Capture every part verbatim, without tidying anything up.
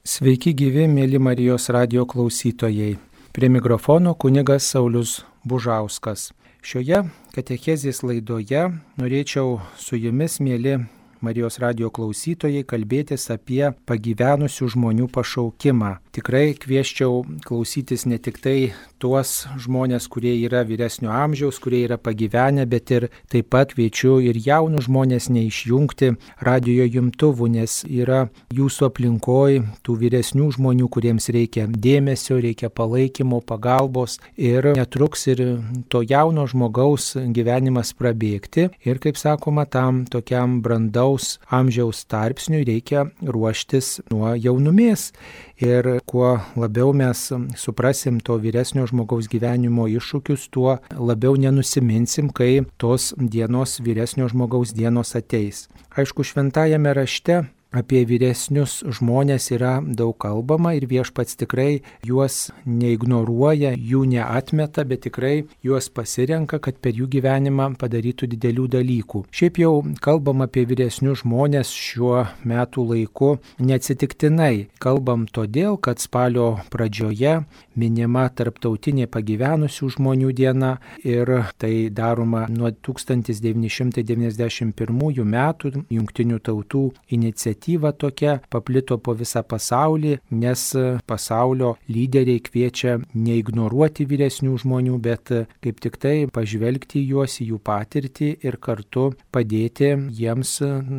Sveiki gyvi, mėly Marijos radijo klausytojai. Prie mikrofono kunigas Saulius Bužauskas. Šioje katechezės laidoje norėčiau su jumis, mėly Marijos radijo klausytojai, kalbėtis apie pagyvenusių žmonių pašaukimą. Tikrai kvieščiau klausytis ne tik tai tuos žmonės, kurie yra vyresnio amžiaus, kurie yra pagyvenę, bet ir taip pat kviečiu ir jaunus žmonės neišjungti radijo jumtuvų, nes yra jūsų aplinkoj tų vyresnių žmonių, kuriems reikia dėmesio, reikia palaikymo, pagalbos ir netruks ir to jauno žmogaus gyvenimas prabėgti. Ir kaip sakoma, tam tokiam brandaus amžiaus tarpsniui reikia ruoštis nuo jaunumės. Ir kuo labiau mes suprasim to vyresnio žmogaus gyvenimo iššūkius, tuo labiau nenusiminsim, kai tos dienos, vyresnio žmogaus dienos ateis. Aišku, šventajame rašte apie vyresnius žmonės yra daug kalbama ir Viešpats tikrai juos neignoruoja, jų neatmeta, bet tikrai juos pasirenka, kad per jų gyvenimą padarytų didelių dalykų. Šiaip jau kalbam apie vyresnius žmonės šiuo metų laiku neatsitiktinai. Kalbam todėl, kad spalio pradžioje minima tarptautinė pagyvenusių žmonių diena ir tai daroma nuo tūkstantis devyni šimtai devyniasdešimt pirmųjų metų Jungtinių tautų iniciatyva. Tokia paplito po visą pasaulį, nes pasaulio lyderiai kviečia neignoruoti vyresnių žmonių, bet kaip tik tai pažvelgti juos į jų patirtį ir kartu padėti jiems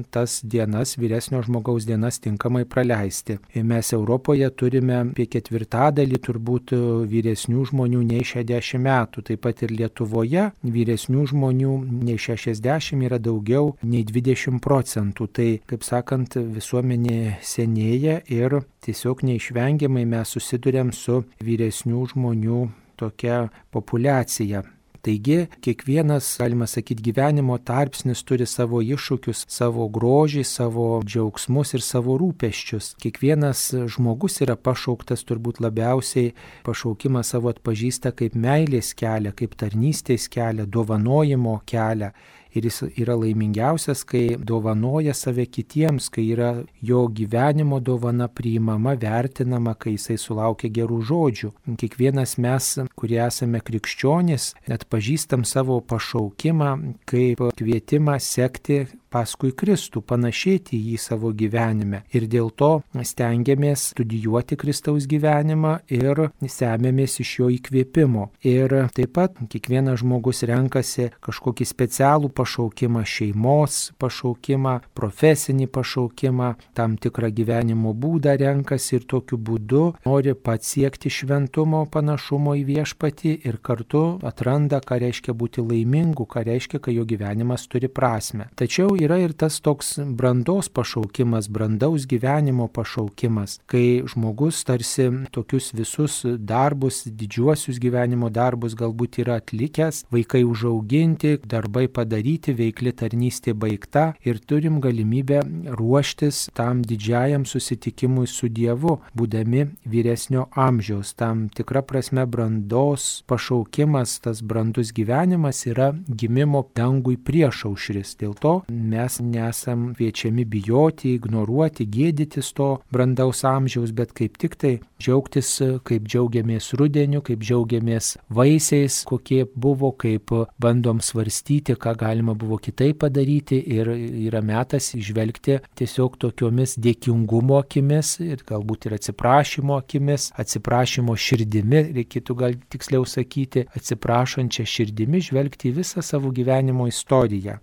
tas dienas, vyresnio žmogaus dienas tinkamai praleisti. Mes Europoje turime apie ketvirtadalį turbūt vyresnių žmonių nei šešiasdešimt metų, taip pat ir Lietuvoje vyresnių žmonių nei šešiasdešimt yra daugiau nei dvidešimt procentų. Tai, kaip sakant, visuomenė senėja ir tiesiog neišvengiamai mes susiduriam su vyresnių žmonių tokia populiacija. Taigi, kiekvienas, galima sakyti, gyvenimo tarpsnis turi savo iššūkius, savo grožį, savo džiaugsmus ir savo rūpesčius. Kiekvienas žmogus yra pašauktas, turbūt labiausiai pašaukimą savo atpažįsta kaip meilės kelią, kaip tarnystės kelią, dovanojimo kelią. Ir jis yra laimingiausias, kai dovanoja save kitiems, kai yra jo gyvenimo dovana priimama, vertinama, kai jisai sulaukia gerų žodžių. Kiekvienas mes, kurie esame krikščionys, atpažįstam savo pašaukimą kaip kvietimą sekti paskui Kristų, panašėti jį savo gyvenime. Ir dėl to stengiamės studijuoti Kristaus gyvenimą ir semiamės iš jo įkvėpimo. Ir taip pat kiekvienas žmogus renkasi kažkokį specialų pašaukimą, šeimos pašaukimą, profesinį pašaukimą, tam tikrą gyvenimo būdą renkasi ir tokiu būdu nori pats siekti šventumo, panašumo į Viešpatį ir kartu atranda, ką reiškia būti laimingu, ką reiškia, kai jo gyvenimas turi prasmę. Tačiau yra ir tas toks brandos pašaukimas, brandaus gyvenimo pašaukimas, kai žmogus tarsi tokius visus darbus, didžiuosius gyvenimo darbus galbūt yra atlikęs, vaikai užauginti, darbai padaryti, veikli tarnystė baigta ir turim galimybę ruoštis tam didžiajam susitikimui su Dievu, būdami vyresnio amžiaus. Tam tikra prasme brandos pašaukimas, tas brandus gyvenimas yra gimimo dangui priešaušris. Dėl to mes nesam kviečiami bijoti, ignoruoti, gėdytis to brandaus amžiaus, bet kaip tik tai džiaugtis, kaip džiaugiamės rudeniu, kaip džiaugiamės vaisiais, kokie buvo, kaip bandom svarstyti, ką galima buvo kitaip padaryti ir yra metas įžvelgti tiesiog tokiomis dėkingumo akimis ir galbūt ir atsiprašymo akimis, atsiprašymo širdimi, reikėtų gal tiksliau sakyti, atsiprašančią širdimi žvelgti į visą savo gyvenimo istoriją.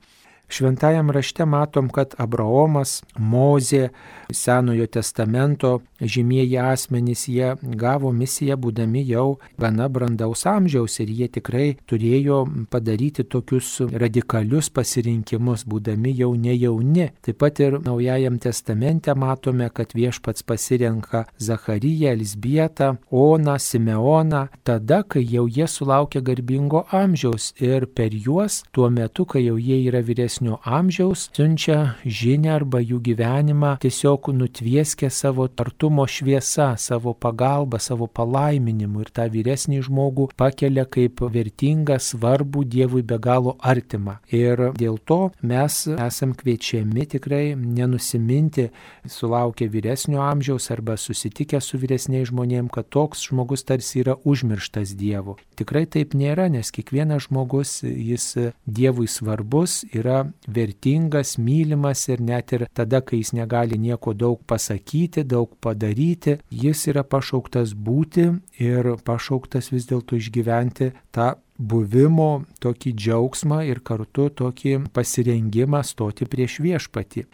Šventajam rašte matom, kad Abraomas, Mozė, Senojo testamento žymieji asmenys, jie gavo misiją būdami jau gana brandaus amžiaus ir jie tikrai turėjo padaryti tokius radikalius pasirinkimus, būdami jau ne jauni. Taip pat ir Naujajam testamente matome, kad Viešpats pasirenka Zachariją, Elzbietą, Oną, Simeoną, tada, kai jau jie sulaukia garbingo amžiaus ir per juos tuo metu, kai jau jie yra vyresni vyresnio amžiaus siunčia žinią arba jų gyvenimą tiesiog nutvieskia savo artumo šviesa, savo pagalba, savo palaiminimu ir tą vyresnį žmogų pakelia kaip vertingą, svarbų, Dievui be galo artimą. Ir dėl to mes esam kviečiami tikrai nenusiminti sulaukę vyresnio amžiaus arba susitikę su vyresniais žmonėm, kad toks žmogus tarsi yra užmirštas Dievu. Tikrai taip nėra, nes kiekvienas žmogus, jis Dievui svarbus, yra vertingas, mylimas ir net ir tada, kai jis negali nieko daug pasakyti, daug padaryti, jis yra pašauktas būti ir pašauktas vis dėlto išgyventi tą buvimo tokį džiaugsmą ir kartu tokį pasirengimą stoti prieš viešpatį.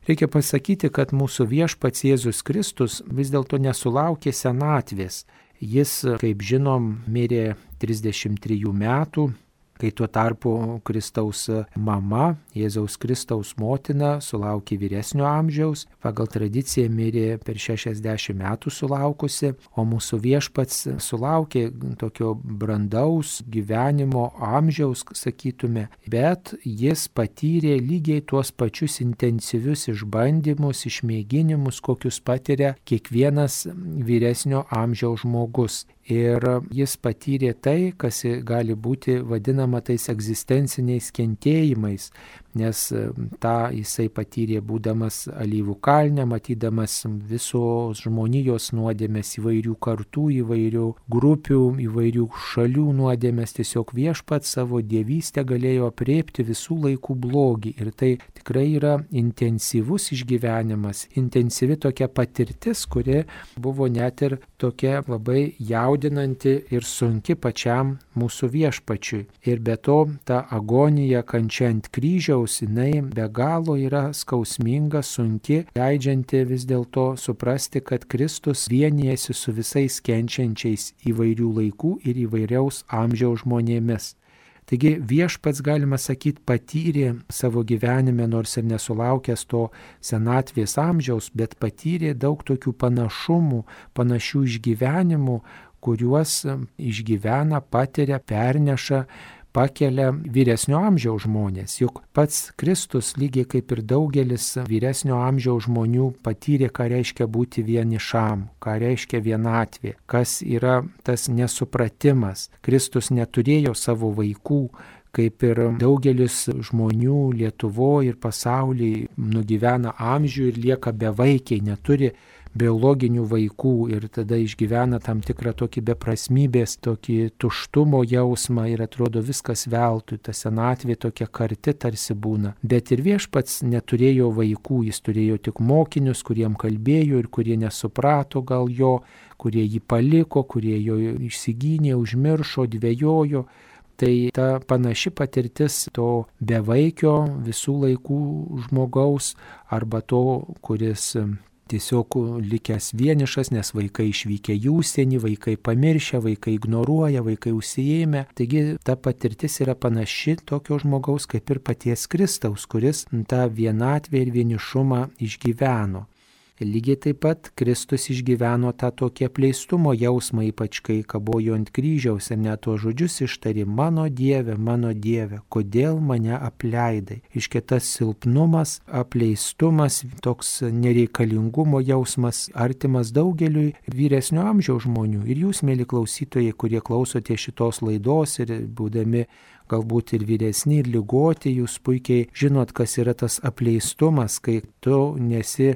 Reikia pasakyti, kad mūsų viešpats Jėzus Kristus vis dėlto nesulaukė senatvės. Jis, kaip žinom, mirė trisdešimt trijų metų, kai tuo tarpu Kristaus mama, Jėzaus Kristaus motina, sulaukė vyresnio amžiaus, pagal tradiciją mirė per šešiasdešimt metų sulaukusi, o mūsų viešpats sulaukė tokio brandaus gyvenimo amžiaus, sakytume, bet jis patyrė lygiai tuos pačius intensyvius išbandymus, išmėginimus, kokius patiria kiekvienas vyresnio amžiaus žmogus. Ir jis patyrė tai, kas gali būti vadinama tais egzistenciniais kentėjimais, nes tą jisai patyrė būdamas Alyvų kalne, matydamas visos žmonijos nuodėmės, įvairių kartų, įvairių grupių, įvairių šalių nuodėmės. Tiesiog viešpats savo dievystę galėjo aprėpti visų laikų blogį. Ir tai tikrai yra intensyvus išgyvenimas, intensyvi tokia patirtis, kuri buvo net ir tokia labai jaudinanti ir sunki pačiam mūsų viešpačiui. Ir be to, ta agonija, kančia ant kryžiaus, jinai be galo yra skausminga, sunki, leidžianti vis dėlto suprasti, kad Kristus vienijasi su visais kenčiančiais įvairių laikų ir įvairiaus amžiaus žmonėmis. Taigi viešpats, galima sakyti, patyrė savo gyvenime, nors ir nesulaukęs to senatvės amžiaus, bet patyrė daug tokių panašumų, panašių išgyvenimų, kuriuos išgyvena, patiria, perneša, pakelia vyresnio amžiaus žmonės. Juk pats Kristus, lygiai kaip ir daugelis vyresnio amžiaus žmonių, patyrė, ką reiškia būti vienišam, ką reiškia vienatvė, kas yra tas nesupratimas. Kristus neturėjo savo vaikų, kaip ir daugelis žmonių Lietuvoje ir pasaulyje nugyvena amžių ir lieka bevaikiai, neturi biologinių vaikų ir tada išgyvena tam tikrą tokį beprasmybės, tokį tuštumo jausmą ir atrodo viskas veltui, ta senatvė tokia karti tarsi būna. Bet ir viešpats neturėjo vaikų, jis turėjo tik mokinius, kuriem kalbėjo ir kurie nesuprato gal jo, kurie jį paliko, kurie jo išsigynė, užmiršo, dvejojo. Tai ta panaši patirtis to bevaikio visų laikų žmogaus arba to, kuris tiesiog likęs vienišas, nes vaikai išvykę į užsienį, vaikai pamiršę, vaikai ignoruoja, vaikai užsiėmę. Taigi ta patirtis yra panaši tokio žmogaus kaip ir paties Kristaus, kuris tą vienatvę ir vienišumą išgyveno. Lygiai taip pat Kristus išgyveno tą tokį apleistumo jausmą, ypač kai kabojo ant kryžiaus ir net tuos žodžius ištarė: mano Dieve, mano Dieve, kodėl mane apleidai. Iškia tas silpnumas, apleistumas, toks nereikalingumo jausmas artimas daugeliui vyresnio amžiaus žmonių. Ir jūs, mėly klausytojai, kurie klausote šitos laidos ir būdami galbūt ir vyresni, ir ligoti, jūs puikiai žinot, kas yra tas apleistumas, kai tu nesi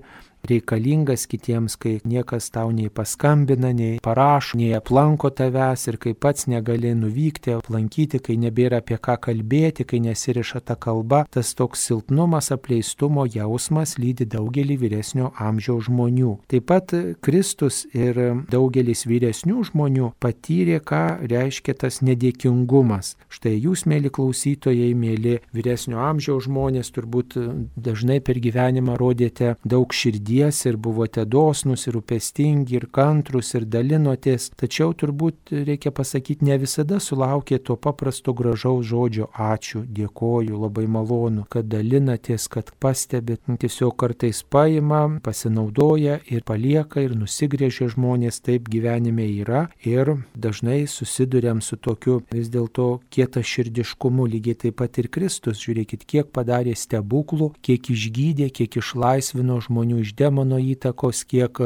reikalingas kitiems, kai niekas tau nei paskambina, nei parašo, nei aplanko tavęs ir kai pats negali nuvykti, aplankyti, kai nebėra apie ką kalbėti, kai nesiriša ta kalba. Tas toks silpnumas, apleistumo jausmas lydi daugelį vyresnio amžiaus žmonių. Taip pat Kristus ir daugelis vyresnių žmonių patyrė, ką reiškia tas nedėkingumas. Štai jūs, mėly klausytojai, mėly vyresnio amžiaus žmonės, turbūt dažnai per gyvenimą rodėte daug širdies širdies ir buvote dosnus ir rūpestingi ir kantrus ir dalinotės, tačiau turbūt reikia pasakyti, ne visada sulaukė to paprasto gražaus žodžio ačiū, dėkoju, labai malonu, kad dalinatės, kad pastebit. Tiesiog kartais paima, pasinaudoja ir palieka ir nusigrėžia žmonės, taip gyvenime yra ir dažnai susiduriam su tokiu vis dėlto kietaširdiškumu, lygiai taip pat ir Kristus, žiūrėkit, kiek padarė stebuklų, kiek išgydė, kiek išlaisvino žmonių iš demono įtakos, kiek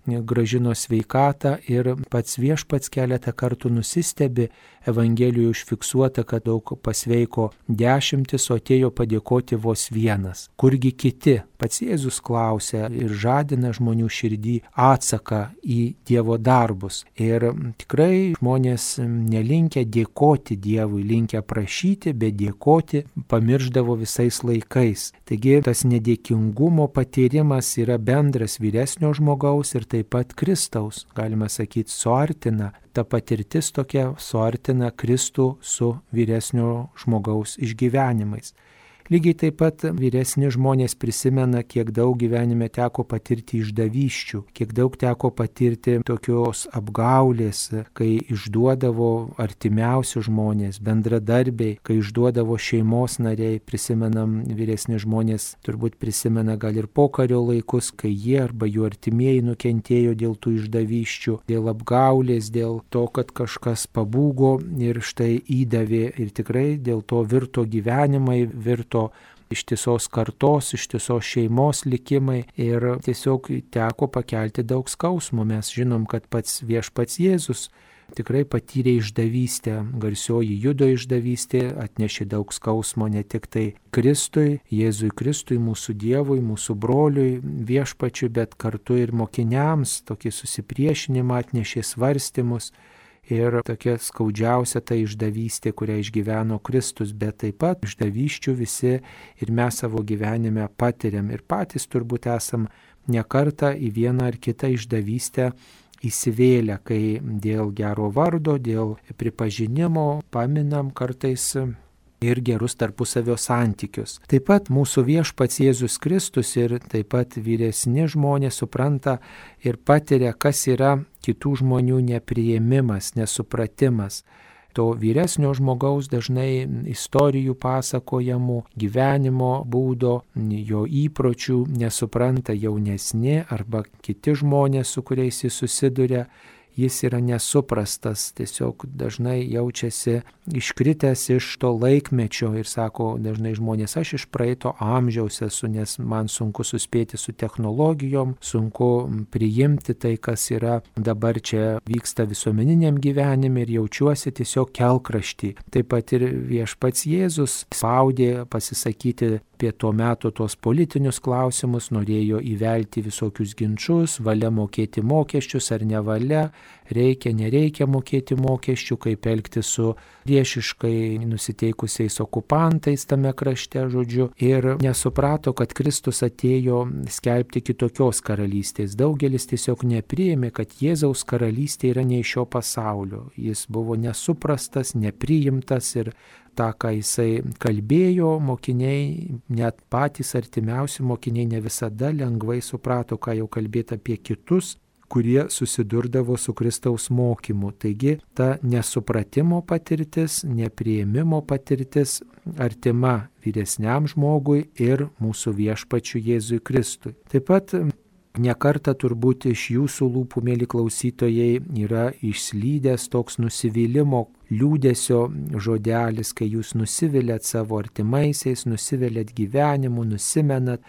gražino sveikatą ir pats viešpats keletą kartų nusistebi, Evangelijoje užfiksuota, kad daug pasveiko dešimtis, o atėjo padėkoti vos vienas. Kurgi kiti? Pats Jėzus klausia ir žadina žmonių širdį atsaką į Dievo darbus. Ir tikrai žmonės nelinkę dėkoti Dievui, linkę prašyti, bet dėkoti pamirždavo visais laikais. Taigi tas nedėkingumo patyrimas yra bendras vyresnio žmogaus ir taip pat Kristaus, galima sakyti, suartina. Ta patirtis tokia suartina Kristų su vyresnio žmogaus išgyvenimais. Lygiai taip pat vyresni žmonės prisimena, kiek daug gyvenime teko patirti išdavysčių, kiek daug teko patirti tokios apgaulės, kai išduodavo artimiausi žmonės, bendradarbiai, kai išduodavo šeimos nariai. Prisimenam, vyresni žmonės turbūt prisimena gal ir pokario laikus, kai jie arba jų artimieji nukentėjo dėl tų išdavysčių, dėl apgaulės, dėl to, kad kažkas pabūgo ir štai įdavė ir tikrai dėl to virto gyvenimai, virto ištisos kartos, ištisos šeimos likimai ir tiesiog teko pakelti daug skausmo. Mes žinom, kad pats viešpats Jėzus tikrai patyrė išdavystę, garsioji Judo išdavystė, atnešė daug skausmo ne tik tai Kristui, Jėzui Kristui, mūsų Dievui, mūsų broliui, viešpačiui, bet kartu ir mokiniams, tokį susipriešinimą atnešė, svarstymus. Ir tokia skaudžiausia ta išdavystė, kurią išgyveno Kristus, bet taip pat išdavysčių visi ir mes savo gyvenime patiriam. Ir patys turbūt esam ne kartą į vieną ar kitą išdavystę įsivėlę, kai dėl gero vardo, dėl pripažinimo paminam kartais ir gerus tarpusavio santykius. Taip pat mūsų viešpats Jėzus Kristus ir taip pat vyresni žmonės supranta ir patiria, kas yra kitų žmonių nepriėmimas, nesupratimas. To vyresnio žmogaus dažnai istorijų pasakojamų, gyvenimo būdo, jo įpročių nesupranta jaunesni arba kiti žmonės, su kuriais jis susiduria. Jis yra nesuprastas, tiesiog dažnai jaučiasi iškritęs iš to laikmečio ir sako dažnai žmonės, aš iš praeito amžiaus esu, nes man sunku suspėti su technologijom, sunku priimti tai, kas yra dabar čia vyksta visuomeniniam gyvenime ir jaučiuosi tiesiog kelkraštį. Taip pat ir viešpats Jėzus spaudė pasisakyti apie tuo metu tos politinius klausimus, norėjo įvelti visokius ginčius, valia mokėti mokesčius ar nevalia, reikia, nereikia mokėti mokesčių, kaip elgti su priešiškai nusiteikusiais okupantais tame krašte, žodžiu, ir nesuprato, kad Kristus atėjo skelbti kitokios karalystės. Daugelis tiesiog nepriėmė, kad Jėzaus karalystė yra ne iš šio pasaulio. Jis buvo nesuprastas, nepriimtas ir tą, ką jisai kalbėjo, mokiniai, net patys artimiausi mokiniai ne visada lengvai suprato, ką jau kalbėti apie kitus, kurie susidurdavo su Kristaus mokymu. Taigi ta nesupratimo patirtis, nepriėmimo patirtis artima vyresniam žmogui ir mūsų viešpačiui Jėzui Kristui. Taip pat nekartą turbūt iš jūsų lūpų, mėly klausytojai, yra išslydęs toks nusivylimo, liūdesio žodelis, kai jūs nusivilėt savo artimaisiais, nusivilėt gyvenimu, nusimenat.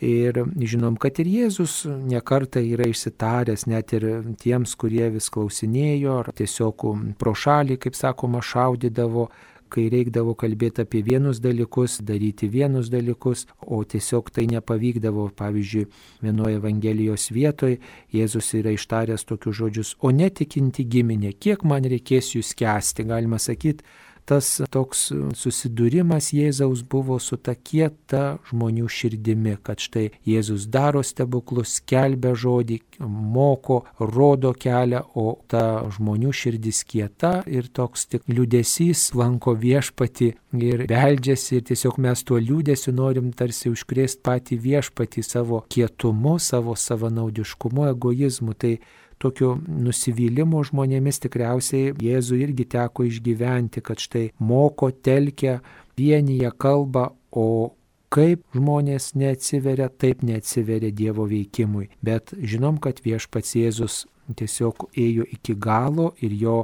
Ir žinom, kad ir Jėzus nekartą yra išsitaręs net ir tiems, kurie vis klausinėjo, ar tiesiog pro šalį, kaip sakoma, šaudydavo, kai reikdavo kalbėti apie vienus dalykus, daryti vienus dalykus, o tiesiog tai nepavykdavo. Pavyzdžiui, vienoje Evangelijos vietoje Jėzus yra ištaręs tokius žodžius, o netikinti giminė, kiek man reikės jūs kęsti, galima sakyti, tas toks susidūrimas Jėzaus buvo su ta kieta žmonių širdimi, kad štai Jėzus daro stebuklus, skelbia žodį, moko, rodo kelią, o ta žmonių širdis kieta ir toks tik liūdesys lanko viešpatį ir beldžiasi ir tiesiog mes tuo liūdesiu norim tarsi užkrėsti patį viešpatį savo kietumu, savo savanaudiškumu, egoizmu. Tai tokio nusivylimo žmonėmis tikriausiai Jėzui irgi teko išgyventi, kad štai moko, telkia, vienyje kalba, o kaip žmonės neatsiveria, taip neatsiveria Dievo veikimui. Bet žinom, kad viešpats Jėzus tiesiog ėjo iki galo ir jo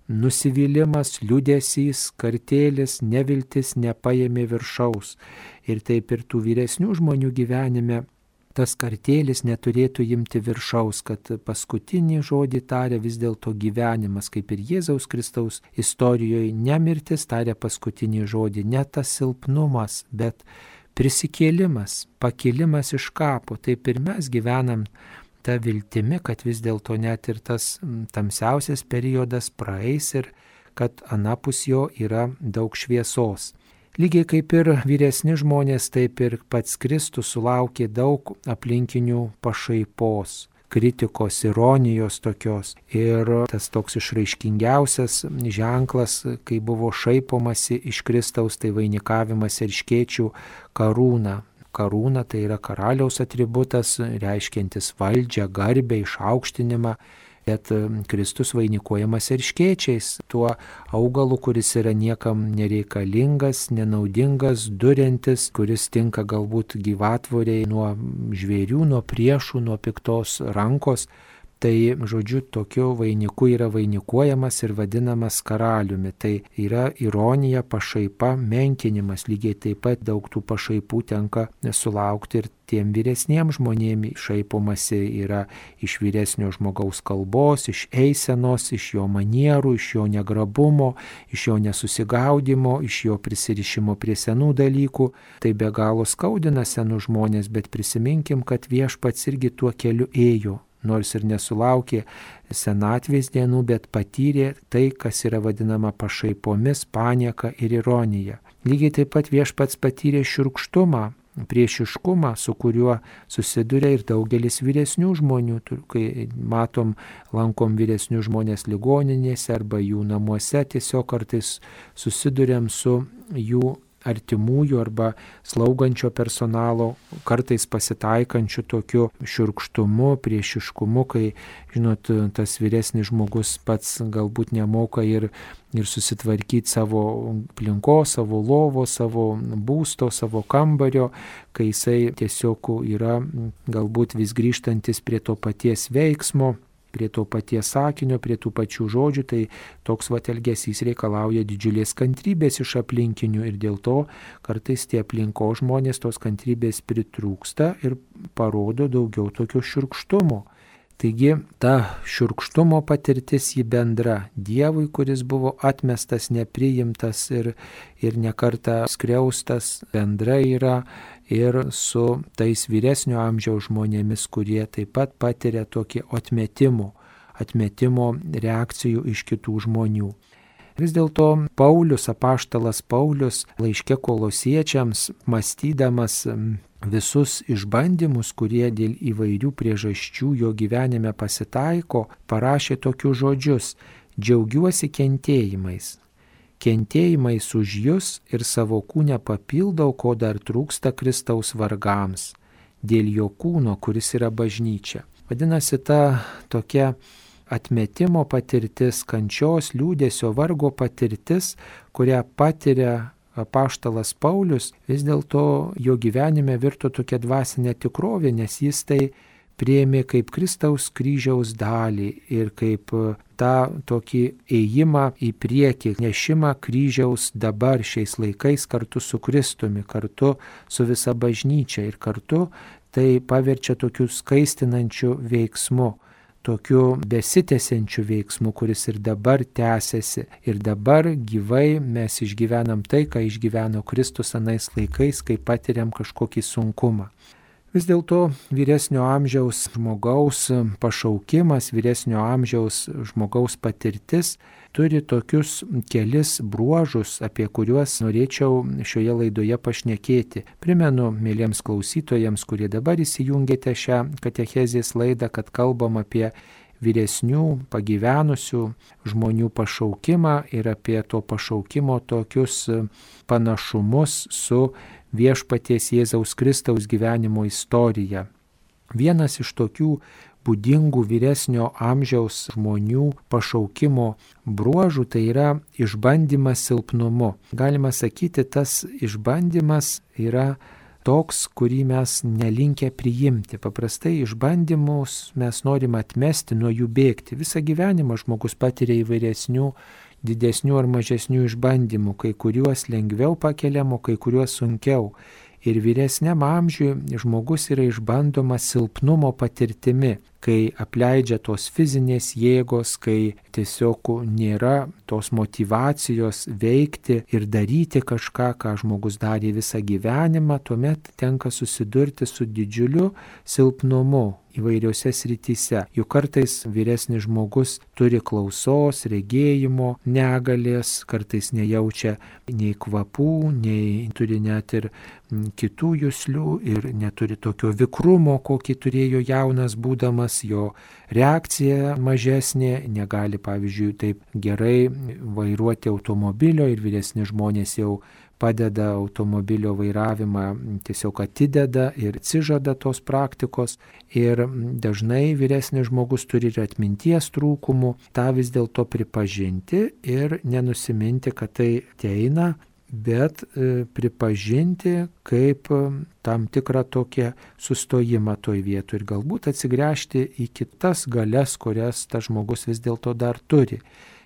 nusivylimas, liūdesys, kartėlis, neviltis nepaėmė viršaus. Ir taip ir tų vyresnių žmonių gyvenime tas kartėlis neturėtų imti viršaus, kad paskutinį žodį taria vis dėlto gyvenimas, kaip ir Jėzaus Kristaus istorijoje, ne mirtis taria paskutinį žodį, ne tas silpnumas, bet prisikėlimas, pakilimas iš kapo. Taip ir mes gyvenam tą viltimi, kad vis dėlto net ir tas tamsiausias periodas praeis ir kad anapus jo yra daug šviesos. Lygiai kaip ir vyresni žmonės, taip ir pats Kristus sulaukė daug aplinkinių pašaipos, kritikos, ironijos tokios. Ir tas toks išraiškingiausias ženklas, kai buvo šaipomasi iš Kristaus, tai vainikavimas erškėčių karūna. Karūna tai yra karaliaus atributas, reiškiantis valdžią, garbę, išaukštinimą. Bet Kristus vainikuojamas erškėčiais, tuo augalu, kuris yra niekam nereikalingas, nenaudingas, durintis, kuris tinka galbūt gyvatvoriai nuo žvėrių, nuo priešų, nuo piktos rankos. Tai, žodžiu, tokiu vainiku yra vainikuojamas ir vadinamas karaliumi. Tai yra ironija, pašaipa, menkinimas. Lygiai taip pat daug tų pašaipų tenka sulaukti ir tiem vyresniems žmonėms. Šaipomasi yra iš vyresnio žmogaus kalbos, iš eisenos, iš jo manierų, iš jo negrabumo, iš jo nesusigaudimo, iš jo prisirišimo prie senų dalykų. Tai be galo skaudina senus žmonės, bet prisiminkim, kad viešpats irgi tuo keliu ėjo. Nors ir nesulaukė senatvės dienų, bet patyrė tai, kas yra vadinama pašaipomis, panieka ir ironija. Lygiai taip pat viešpats patyrė šiurkštumą, priešiškumą, su kuriuo susiduria ir daugelis vyresnių žmonių. Kai matom, lankom vyresnių žmonės ligoninėse arba jų namuose, tiesiog kartais susiduriam su jų artimųjų arba slaugančio personalo kartais pasitaikančių tokiu šiurkštumu, priešiškumu, kai, žinot, tas vyresnis žmogus pats galbūt nemoka ir, ir susitvarkyti savo aplinkos, savo lovo, savo būsto, savo kambario, kai jisai tiesiog yra galbūt vis grįžtantis prie to paties veiksmo, prie to paties sakinio, prie tų pačių žodžių, tai toks vat elgesys reikalauja didžiulės kantrybės iš aplinkinių ir dėl to kartais tie aplinkos žmonės tos kantrybės pritrūksta ir parodo daugiau tokio šiurkštumo. Taigi ta šiurkštumo patirtis jį bendra Dievui, kuris buvo atmestas, nepriimtas ir, ir nekartą skriaustas, bendra yra ir su tais vyresnio amžiaus žmonėmis, kurie taip pat patiria tokį atmetimo, atmetimo reakcijų iš kitų žmonių. Vis dėlto Paulius, apaštalas Paulius, laiške Kolosiečiams, mąstydamas visus išbandymus, kurie dėl įvairių priežasčių jo gyvenime pasitaiko, parašė tokius žodžius: džiaugiuosi kentėjimais. Kentėjimais už jus ir savo kūne papildau, ko dar trūksta Kristaus vargams, dėl jo kūno, kuris yra bažnyčia. Vadinasi, ta tokia atmetimo patirtis, kančios, liūdesio, vargo patirtis, kurią patiria apaštalas Paulius, vis dėlto jo gyvenime virto tokia dvasinė tikrovė, nes jis tai priėmė kaip Kristaus kryžiaus dalį ir kaip tą tokį ėjimą į priekį, nešimą kryžiaus dabar šiais laikais kartu su Kristumi, kartu su visa bažnyčia ir kartu tai paverčia tokiu skaistinančiu veiksmu, tokiu besitęsiančiu veiksmu, kuris ir dabar tęsiasi. Ir dabar gyvai mes išgyvenam tai, ką išgyveno Kristus anais laikais, kai patiriam kažkokį sunkumą. Vis dėlto vyresnio amžiaus žmogaus pašaukimas, vyresnio amžiaus žmogaus patirtis turi tokius kelis bruožus, apie kuriuos norėčiau šioje laidoje pašnekėti. Primenu mėlyms klausytojams, kurie dabar įsijungėte šią katechezės laidą, kad kalbam apie vyresnių, pagyvenusių žmonių pašaukimą ir apie to pašaukimo tokius panašumus su viešpaties Jėzaus Kristaus gyvenimo istorija. Vienas iš tokių būdingų vyresnio amžiaus žmonių pašaukimo bruožų tai yra išbandymas silpnumu. Galima sakyti, tas išbandymas yra toks, kurį mes nelinkę priimti. Paprastai išbandymus mes norime atmesti, nuo jų bėgti. Visą gyvenimą žmogus patiria įvairesnių, didesnių ar mažesnių išbandymų, kai kuriuos lengviau pakeliamo, kai kuriuos sunkiau. Ir vyresniam amžiui žmogus yra išbandomas silpnumo patirtimi, kai apleidžia tos fizinės jėgos, kai tiesiog nėra tos motyvacijos veikti ir daryti kažką, ką žmogus darė visą gyvenimą, tuomet tenka susidurti su didžiuliu silpnumu įvairiose srityse. Juk kartais vyresnis žmogus turi klausos, regėjimo negalės, kartais nejaučia nei kvapų, nei turi net ir kitų juslių ir neturi tokio vikrumo, kokį turėjo jaunas būdamas, jo reakcija mažesnė, negali, pavyzdžiui, taip gerai vairuoti automobilio ir vyresni žmonės jau padeda automobilio vairavimą, tiesiog atideda ir atsižada tos praktikos. Ir dažnai vyresnis žmogus turi ir atminties trūkumų, tą vis dėlto pripažinti ir nenusiminti, kad tai ateina, bet e, pripažinti kaip tam tikrą tokią sustojimą toj vietoj ir galbūt atsigręžti į kitas galias, kurias tas žmogus vis dėlto dar turi.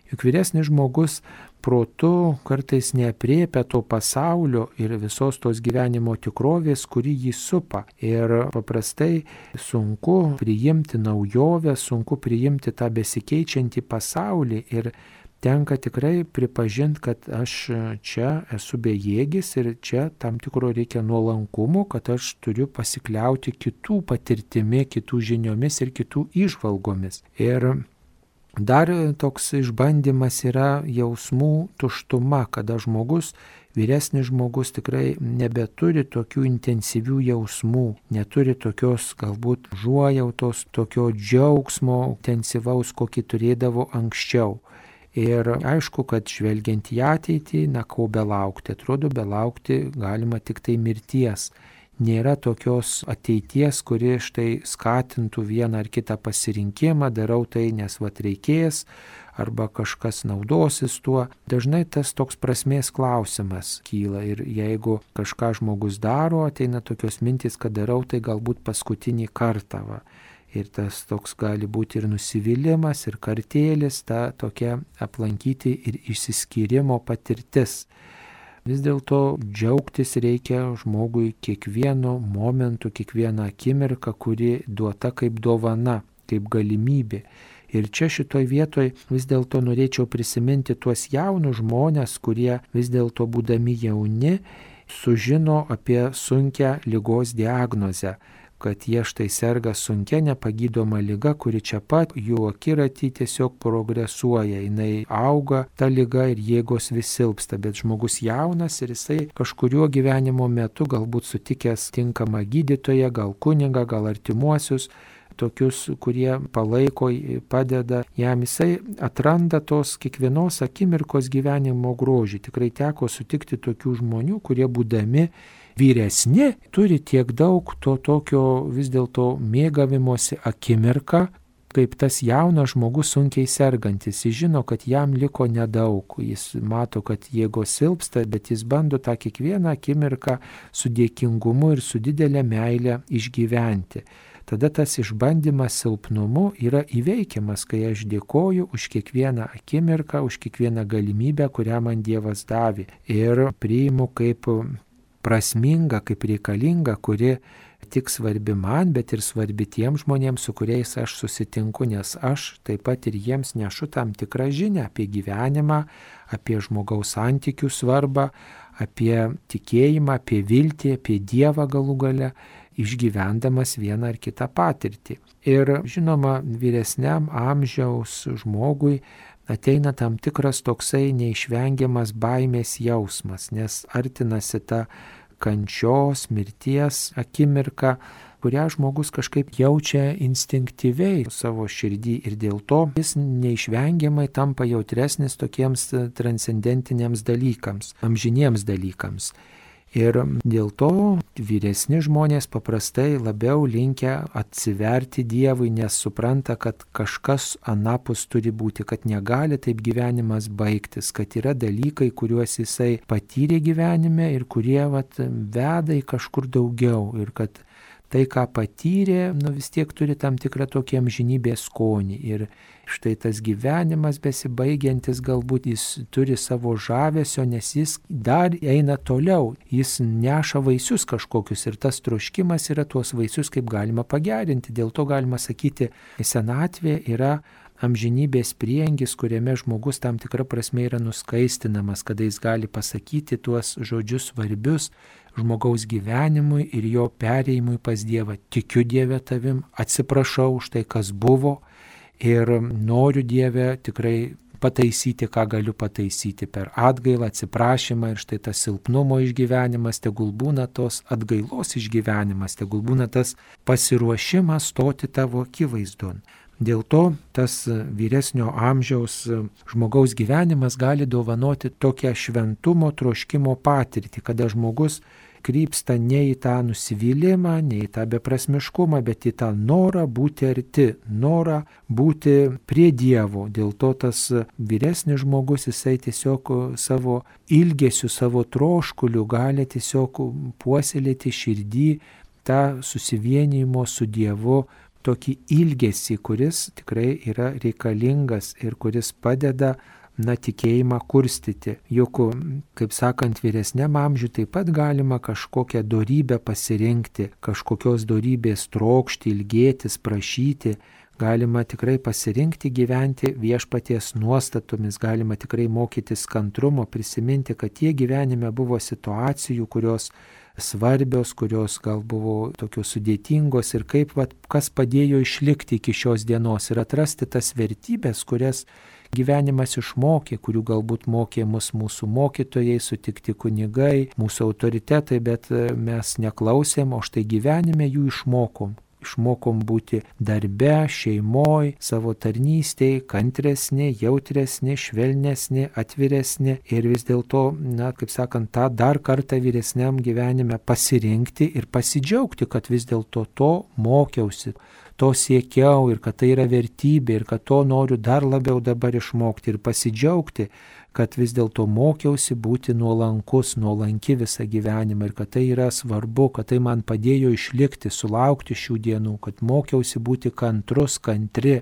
Juk vyresnis žmogus protu kartais neaprėpia to pasaulio ir visos tos gyvenimo tikrovės, kuri jį supa. Ir paprastai sunku priimti naujovę, sunku priimti tą besikeičiantį pasaulį ir tenka tikrai pripažinti, kad aš čia esu bejėgis ir čia tam tikro reikia nuolankumo, kad aš turiu pasikliauti kitų patirtimi, kitų žiniomis ir kitų įžvalgomis. Ir dar toks išbandymas yra jausmų tuštuma, kada žmogus, vyresnis žmogus tikrai nebeturi tokių intensyvių jausmų, neturi tokios galbūt užuojautos, tokio džiaugsmo intensyvaus, kokį turėdavo anksčiau. Ir aišku, kad žvelgiant į ateitį, na ko belaukti, atrodo belaukti galima tik tai mirties. Nėra tokios ateities, kuri štai skatintų vieną ar kitą pasirinkimą, darau tai, nes vat reikės, arba kažkas naudosis tuo. Dažnai tas toks prasmės klausimas kyla ir jeigu kažką žmogus daro, ateina tokios mintys, kad darau tai galbūt paskutinį kartą. Va. Ir tas toks gali būti ir nusivylimas, ir kartėlis, ta tokia aplankyti ir išsiskyrimo patirtis. Vis dėlto džiaugtis reikia žmogui kiekvienu momentu, kiekvieną akimirką, kuri duota kaip dovana, kaip galimybė. Ir čia šitoj vietoj vis dėlto norėčiau prisiminti tuos jaunus žmonės, kurie vis dėlto būdami jauni sužino apie sunkią ligos diagnozę, kad jie štai serga sunkia nepagydoma liga, kuri čia pat jų akiratį tiesiog progresuoja, jinai auga ta liga ir jėgos vis silpsta, bet žmogus jaunas ir jisai kažkuriuo gyvenimo metu galbūt sutikęs tinkamą gydytoją, gal kunigą, gal artimuosius, tokius, kurie palaiko, padeda jam, jisai atranda tos kiekvienos akimirkos gyvenimo grožį. Tikrai teko sutikti tokių žmonių, kurie būdami vyresni turi tiek daug to tokio vis dėlto mėgavimosi akimirką, kaip tas jaunas žmogus sunkiai sergantis. Jis žino, kad jam liko nedaug, jis mato, kad jėgos silpsta, bet jis bando tą kiekvieną akimirką su dėkingumu ir su didelė meile išgyventi. Tada tas išbandymas silpnumu yra įveikiamas, kai aš dėkoju už kiekvieną akimirką, už kiekvieną galimybę, kurią man Dievas davė. Ir priimu kaip prasminga, kaip reikalinga, kuri tik svarbi man, bet ir svarbi tiems žmonėms, su kuriais aš susitinku, nes aš taip pat ir jiems nešu tam tikrą žinią apie gyvenimą, apie žmogaus santykių svarbą, apie tikėjimą, apie viltį, apie Dievą galų gale, išgyvendamas vieną ar kitą patirtį. Ir žinoma, vyresniam amžiaus žmogui ateina tam tikras toksai neišvengiamas baimės jausmas, nes artinasi ta kančios, mirties akimirka, kurią žmogus kažkaip jaučia instinktyviai savo širdį ir dėl to jis neišvengiamai tampa jautresnis tokiems transcendentiniams dalykams, amžiniems dalykams. Ir dėl to vyresni žmonės paprastai labiau linkę atsiverti Dievui, nes supranta, kad kažkas anapus turi būti, kad negali taip gyvenimas baigtis, kad yra dalykai, kuriuos jisai patyrė gyvenime ir kurie vat, veda į kažkur daugiau ir kad tai, ką patyrė, nu vis tiek turi tam tikrą tokį amžinybės skonį. Ir štai tas gyvenimas besibaigiantis galbūt jis turi savo žavesio, nes jis dar eina toliau, jis neša vaisius kažkokius ir tas troškimas yra tuos vaisius kaip galima pagerinti. Dėl to galima sakyti, senatvė yra amžinybės prieangis, kuriame žmogus tam tikra prasme yra nuskaistinamas, kada jis gali pasakyti tuos žodžius svarbius žmogaus gyvenimui ir jo perėjimui pas Dievą. Tikiu Dieve tavim, atsiprašau už tai, kas buvo ir noriu Dieve tikrai pataisyti, ką galiu pataisyti per atgailą, atsiprašymą ir štai tas silpnumo išgyvenimas, tegul būna tos atgailos išgyvenimas, tegul būna tas pasiruošimas stoti tavo akivaizdon. Dėl to tas vyresnio amžiaus žmogaus gyvenimas gali dovanoti tokią šventumo troškimo patirtį, kada žmogus krypsta ne į tą nusivylimą, ne į tą beprasmiškumą, bet į tą norą būti arti, norą būti prie Dievo. Dėl to tas vyresnis žmogus, jisai tiesiog savo ilgesiu, savo troškuliu gali tiesiog puoselėti širdį tą susivienijimo su Dievu tokį ilgesį, kuris tikrai yra reikalingas ir kuris padeda na, tikėjimą kurstyti. Juk, kaip sakant, vyresniam amžiui taip pat galima kažkokią dorybę pasirinkti, kažkokios dorybės trokšti, ilgėtis, prašyti. Galima tikrai pasirinkti gyventi viešpaties nuostatomis, galima tikrai mokytis kantrumo, prisiminti, kad tie gyvenime buvo situacijų, kurios svarbios, kurios gal buvo tokios sudėtingos ir kaip, vat, kas padėjo išlikti iki šios dienos ir atrasti tas vertybės, kurias gyvenimas išmokė, kurių galbūt mokė mus mūsų mokytojai, sutikti kunigai, mūsų autoritetai, bet mes neklausėm, o štai gyvenime jų išmokom. Išmokom būti darbe, šeimoj, savo tarnystėj, kantresni, jautresni, švelnesni, atviresni ir vis dėlto, na, kaip sakant, tą dar kartą vyresniam gyvenime pasirinkti ir pasidžiaugti, kad vis dėlto to mokiausi, to siekiau ir kad tai yra vertybė ir kad to noriu dar labiau dabar išmokti ir pasidžiaugti, kad vis dėlto mokiausi būti nuolankus, nuolanki visą gyvenimą ir kad tai yra svarbu, kad tai man padėjo išlikti, sulaukti šių dienų, kad mokiausi būti kantrus, kantri,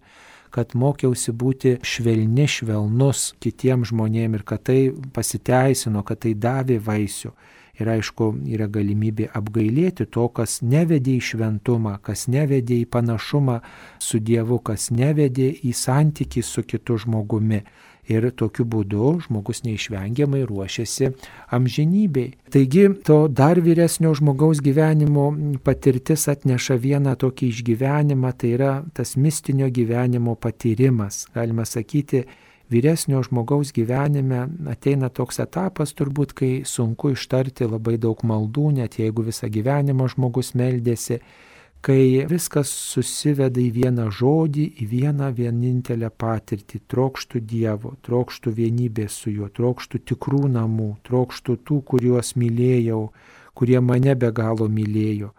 kad mokiausi būti švelni, švelnus kitiems žmonėms ir kad tai pasiteisino, kad tai davė vaisių. Ir aišku, yra galimybė apgailėti to, kas nevedė į šventumą, kas nevedė į panašumą su Dievu, kas nevedė į santykį su kitu žmogumi. Ir tokiu būdu žmogus neišvengiamai ruošiasi amžinybei. Taigi, to dar vyresnio žmogaus gyvenimo patirtis atneša vieną tokį išgyvenimą, tai yra tas mistinio gyvenimo patyrimas. Galima sakyti, vyresnio žmogaus gyvenime ateina toks etapas turbūt, kai sunku ištarti labai daug maldų, net jeigu visą gyvenimą žmogus meldėsi, kai viskas susiveda į vieną žodį, į vieną vienintelę patirtį. Trokštų Dievo, trokštų vienybės su juo, trokštų tikrų namų, trokštų tų, kuriuos mylėjau, kurie mane be galo mylėjo.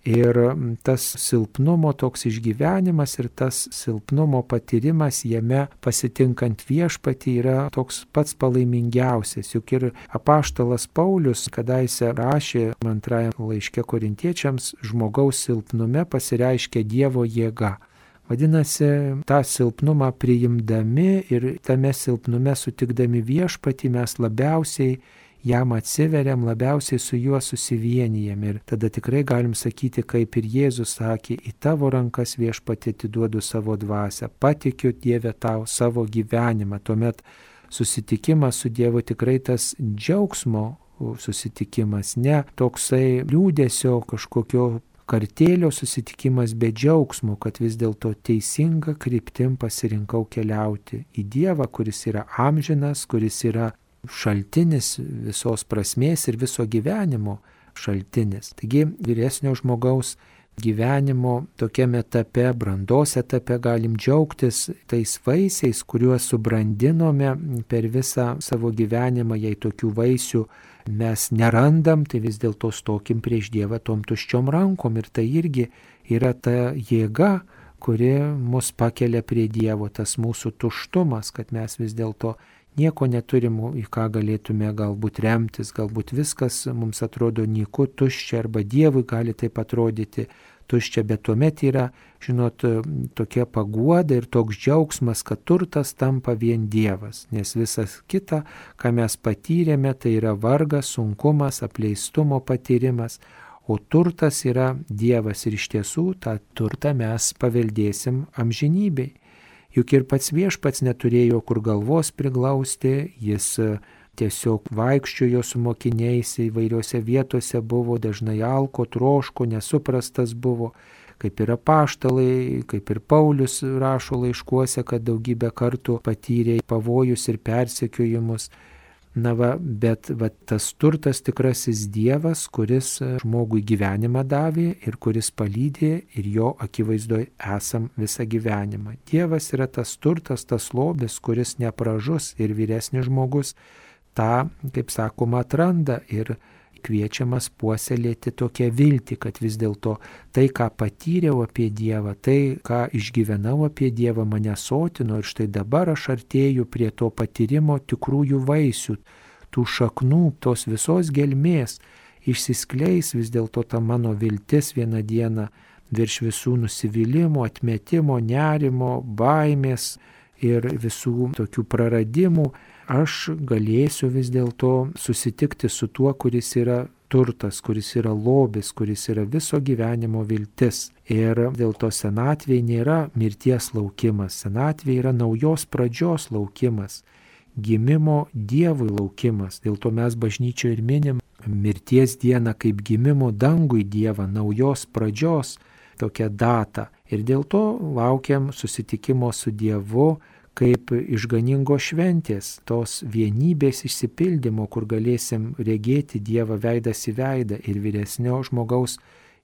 Ir tas silpnumo toks išgyvenimas ir tas silpnumo patyrimas jame pasitinkant viešpatį yra toks pats palaimingiausias. Juk ir apaštalas Paulius kadaise rašė antrajame laiške korintiečiams, žmogaus silpnume pasireiškia Dievo jėga. Vadinasi, tą silpnumą priimdami ir tame silpnume sutikdami viešpatį mes labiausiai jam atsiveriam, labiausiai su juo susivienijam ir tada tikrai galim sakyti, kaip ir Jėzus sakė, į tavo rankas viešpatie atiduodu savo dvasią, patikiu Dieve tau savo gyvenimą. Tuomet susitikimas su Dievu tikrai tas džiaugsmo susitikimas, ne toksai liūdesio kažkokio kartėlio susitikimas be džiaugsmo, kad vis dėlto teisinga kryptim pasirinkau keliauti į Dievą, kuris yra amžinas, kuris yra šaltinis visos prasmės ir viso gyvenimo šaltinis. Taigi vyresnio žmogaus gyvenimo tokiame etape, brandos etape galim džiaugtis tais vaisiais, kuriuos subrandinome per visą savo gyvenimą. Jei tokių vaisių mes nerandam, tai vis dėlto stokim prieš Dievą tom tuščiom rankom. Ir tai irgi yra ta jėga, kuri mus pakelia prie Dievo, tas mūsų tuštumas, kad mes vis dėlto nieko neturim, į ką galėtume galbūt remtis, galbūt viskas mums atrodo nyku, tuščia, arba Dievui gali taip atrodyti tuščia, bet tuomet yra, žinot, tokia paguoda ir toks džiaugsmas, kad turtas tampa vien Dievas, nes visas kita, ką mes patyrėme, tai yra vargas, sunkumas, apleistumo patyrimas, o turtas yra Dievas ir iš tiesų tą turtą mes paveldėsim amžinybei. Juk ir pats Viešpats neturėjo kur galvos priglausti, jis tiesiog vaikščiojo su mokiniais, įvairiose vietose buvo, dažnai alko, troško, nesuprastas buvo, kaip ir apaštalai, kaip ir Paulius rašo laiškuose, kad daugybę kartų patyrė pavojus ir persekiojimus. Na va, bet va, tas turtas tikrasis Dievas, kuris žmogui gyvenimą davė ir kuris palydė ir jo akivaizdoje esam visą gyvenimą. Dievas yra tas turtas, tas lobis, kuris nepražus ir vyresnis žmogus tą, kaip sakoma, atranda ir kviečiamas puoselėti tokią viltį, kad vis dėlto tai, ką patyriau apie Dievą, tai, ką išgyvenau apie Dievą, mane sotino ir štai dabar aš artėju prie to patyrimo tikrųjų vaisių, tų šaknų, tos visos gelmės, išsiskleis vis dėlto ta mano viltis vieną dieną virš visų nusivylimų, atmetimo, nerimo, baimės ir visų tokių praradimų. Aš galėsiu vis dėlto susitikti su tuo, kuris yra turtas, kuris yra lobis, kuris yra viso gyvenimo viltis. Ir dėl to senatvėje nėra mirties laukimas, senatvėje yra naujos pradžios laukimas, gimimo Dievui laukimas. Dėl to mes bažnyčioje ir minim mirties dieną kaip gimimo dangui Dievą, naujos pradžios tokią datą. Ir dėl to laukiam susitikimo su Dievu, kaip išganingo šventės, tos vienybės išsipildymo, kur galėsim regėti Dievą veidas į veidą. Ir vyresnio žmogaus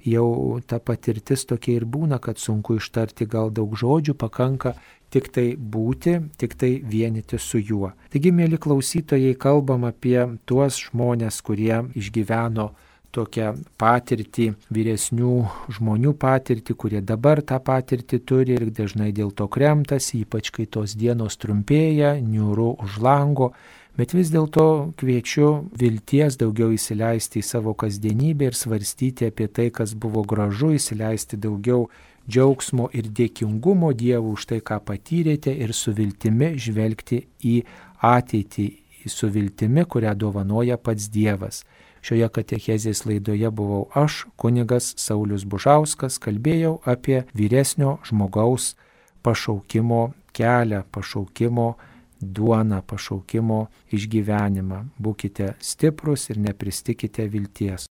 jau ta patirtis tokia ir būna, kad sunku ištarti gal daug žodžių, pakanka tik tai būti, tik tai vienyti su juo. Taigi, mėly klausytojai, kalbam apie tuos žmonės, kurie išgyveno tokią patirtį, vyresnių žmonių patirtį, kurie dabar tą patirtį turi ir dažnai dėl to kremtasi, ypač kai tos dienos trumpėja, niūru už lango, bet vis dėlto kviečiu vilties daugiau įsileisti į savo kasdienybę ir svarstyti apie tai, kas buvo gražu, įsileisti daugiau džiaugsmo ir dėkingumo Dievui už tai, ką patyrėte, ir su viltimi žvelgti į ateitį, su viltimi, kurią dovanoja pats Dievas. Šioje katechezės laidoje buvau aš, kunigas Saulius Bužauskas, kalbėjau apie vyresnio žmogaus pašaukimo kelią, pašaukimo duoną, pašaukimo išgyvenimą. Būkite stiprus ir nepristikite vilties.